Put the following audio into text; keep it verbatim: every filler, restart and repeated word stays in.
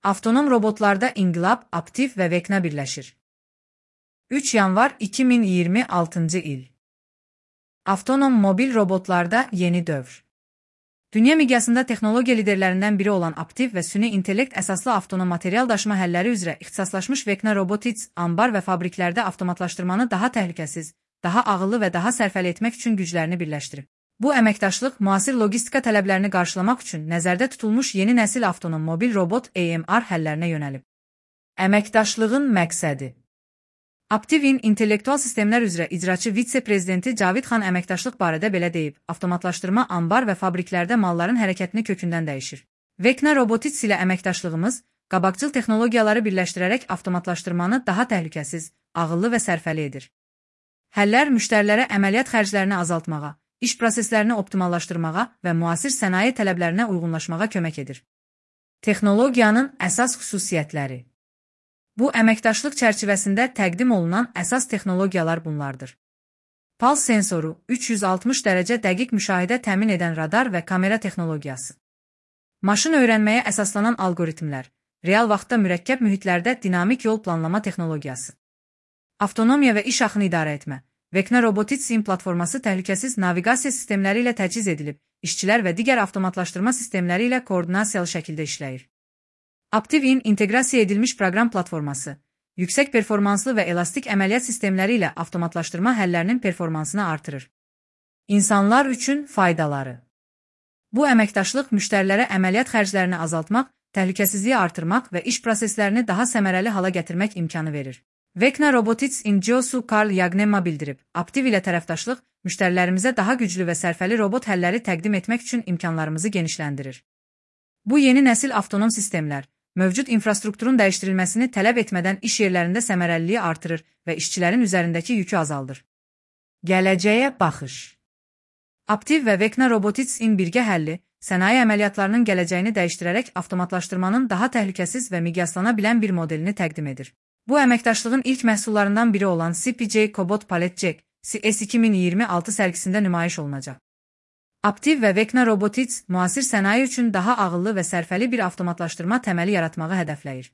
Avtonom robotlarda inqilab, Aptiv və Vecna birləşir. üç yanvar iki min iyirmi altıncı il. Avtonom mobil robotlarda yeni dövr. Dünya miqyasında texnologiya liderlərindən biri olan Aptiv və süni intellekt əsaslı avtonom material daşıma həlləri üzrə ixtisaslaşmış Vecna Robotics, anbar və fabriklərdə avtomatlaşdırmanı daha təhlükəsiz, daha ağıllı və daha sərfəli etmək üçün güclərini birləşdirib. Bu əməkdaşlıq müasir logistika tələblərini qarşılamaq üçün nəzərdə tutulmuş yeni nəsil avtonom mobil robot A M R həllərinə yönəlib. Əməkdaşlığın məqsədi Aptivin intellektual sistemlər üzrə icraçı vitse-prezidenti Cavid Xan əməkdaşlıq barədə belə deyib, avtomatlaşdırma anbar və fabriklərdə malların hərəkətini kökündən dəyişir. Vecna Robotics ilə əməkdaşlığımız, qabaqcıl texnologiyaları birləşdirərək avtomatlaşdırmanı daha təhlükəsiz, ağıllı və sərfəli edir. Həllər müştərilərə əməliyyat xərclərini azaltmağa, iş proseslərini optimallaşdırmağa və müasir sənaye tələblərinə uyğunlaşmağa kömək edir. Texnologiyanın əsas xüsusiyyətləri Bu əməkdaşlıq çərçivəsində təqdim olunan əsas texnologiyalar bunlardır. Pals sensoru, üç yüz altmış dərəcə dəqiq müşahidə təmin edən radar və kamera texnologiyası. Maşın öyrənməyə əsaslanan algoritmlər, real vaxtda mürəkkəb mühitlərdə dinamik yol planlama texnologiyası. Avtonomiya və iş axını idarə etmə. Vecna Robotics'in platforması təhlükəsiz naviqasiya sistemləri ilə təchiz edilib, işçilər və digər avtomatlaşdırma sistemləri ilə koordinasiyalı şəkildə işləyir. Aptivin inteqrasiya edilmiş proqram platforması, yüksək performanslı və elastik əməliyyat sistemləri ilə avtomatlaşdırma həllərinin performansını artırır. İnsanlar üçün faydaları Bu əməkdaşlıq müştərilərə əməliyyat xərclərini azaltmaq, təhlükəsizliyi artırmaq və iş proseslərini daha səmərəli hala gətirmək imkanı verir. Vecna Robotics'in C E O-su Karl Yagnemma bildirib, Aptiv ilə tərəfdaşlıq, müştərilərimizə daha güclü və sərfəli robot həlləri təqdim etmək üçün imkanlarımızı genişləndirir. Bu yeni nəsil avtonom sistemlər, mövcud infrastrukturun dəyişdirilməsini tələb etmədən iş yerlərində səmərəliliyi artırır və işçilərin üzərindəki yükü azaldır. Gələcəyə baxış Aptiv və Vecna Robotics'in birgə həlli, sənaye əməliyyatlarının gələcəyini dəyişdirərək avtomatlaşdırmanın daha təhlükəsiz və miqyaslana bilən bir modelini təqdim edir. Bu əməkdaşlığın ilk məhsullarından biri olan C P J Cobot Pallet Jack C S iki min iyirmi altı sərgisində nümayiş olunacaq. Aptiv və Vecna Robotics müasir sənaye üçün daha ağıllı və sərfəli bir avtomatlaşdırma təməli yaratmağı hədəfləyir.